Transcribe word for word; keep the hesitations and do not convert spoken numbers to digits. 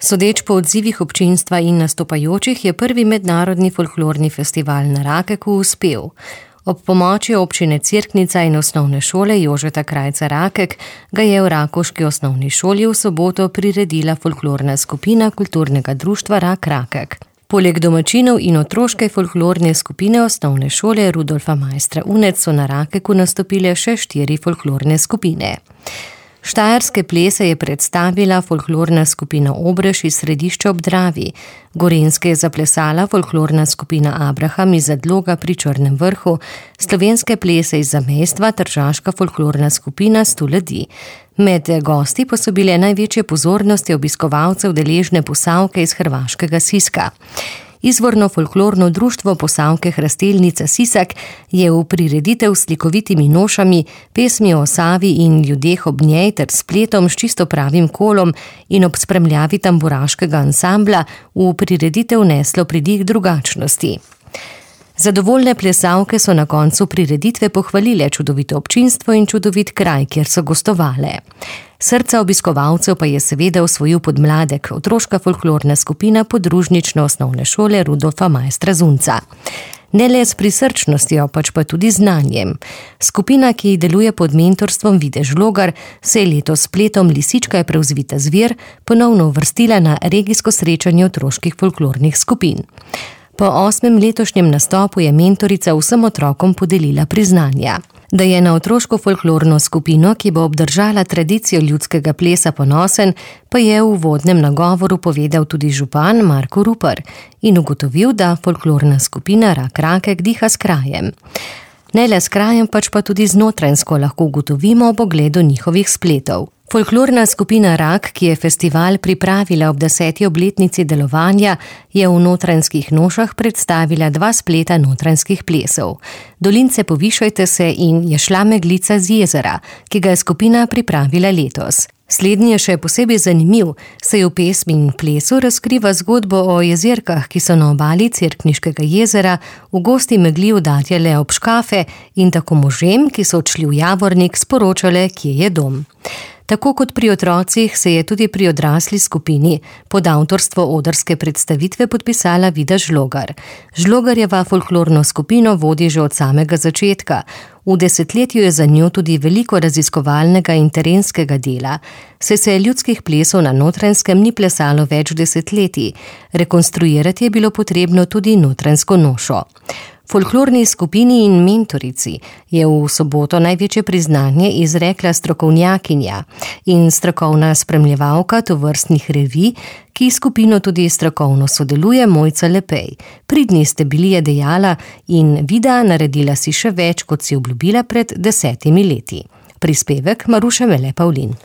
Sodeč po odzivih občinstva in nastopajočih je prvi mednarodni folklorni festival na Rakeku uspel. Ob pomoči občine Cerknica in osnovne šole Jožeta Krajca Rakek ga je v rakovški osnovni šoli v soboto priredila folklorna skupina kulturnega društva Rak Rakek. Poleg domačinov in otroške folklorne skupine osnovne šole Rudolfa Maistra Unec so na Rakeku nastopile še štiri folklorne skupine. Štajerske plese je predstavila folklorna skupina Obreš iz Središča ob Dravi, gorenjske je zaplesala folklorna skupina Abraham iz Zadloga pri Črnem vrhu, slovenske plese iz Zamejstva tržaška folklorna skupina Sto ljudi. Med gosti pa so bile največje pozornosti obiskovalcev deležne Posavke iz hrvaškega Siska. Izvorno folklorno društvo Posavke Hrastelnica Sisak je v prireditev s slikovitimi nošami, pesmi o Savi in ljudeh ob njej ter spletom s čisto pravim kolom in ob spremljavi tamburaškega ansambla v prireditev neslo pridih drugačnosti. Zadovoljne plesavke so na koncu prireditve pohvalile čudovito občinstvo in čudovit kraj, kjer so gostovale. Srca obiskovalcev pa je seveda osvojil podmladek, otroška folklorna skupina podružnične osnovne šole Rudolfa Maistra Zunca. Ne le s prisrčnostjo, pač pa tudi znanjem. Skupina, ki deluje pod mentorstvom Vide Žlogar, se je letos s spletom Lisička je prevzvita zver ponovno uvrstila na regijsko srečanje otroških folklornih skupin. Po osmem letošnjem nastopu je mentorica vsem otrokom podelila priznanja. Da je na otroško folklorno skupino, ki bo obdržala tradicijo ljudskega plesa, ponosen, pa je v uvodnem nagovoru povedal tudi župan Marko Rupar in ugotovil, da folklorna skupina Rak Rakek diha s krajem. Ne le s krajem, pač pa tudi znotranjsko lahko ugotovimo ob ogledu njihovih spletov. Folklorna skupina Rak, ki je festival pripravila ob deseti obletnici delovanja, je v Notranjskih nošah predstavila dva spleta notranjskih plesov. Dolince povišajte se in Je šla meglica z jezera, ki ga je skupina pripravila letos. Slednji je še posebej zanimiv, saj v pesmi in plesu razkriva zgodbo o jezerkah, ki so na obali Cerkniškega jezera v gosti megli udarjale ob škafe in tako možem, ki so odšli v Javornik, sporočale, kje je dom. Tako kot pri otrocih se je tudi pri odrasli skupini pod avtorstvo odrske predstavitve podpisala Vida Žlogar. Žlogarjeva folklorno skupino vodi že od samega začetka. V desetletju je za njo tudi veliko raziskovalnega in terenskega dela, saj se ljudskih plesov na Notranjskem ni plesalo več desetletij. Rekonstruirati je bilo potrebno tudi notranjsko nošo. Folklorni skupini in mentorici je v soboto največje priznanje izrekla strokovnjakinja in strokovna spremljevalka tovrstnih revij, ki skupino tudi strokovno sodeluje, Mojca Lepej. Pridni ste bili, je dejala, in Vida naredila si še več, kot si obljubila pred desetimi leti. Prispevek Maruše Vele Pavlin.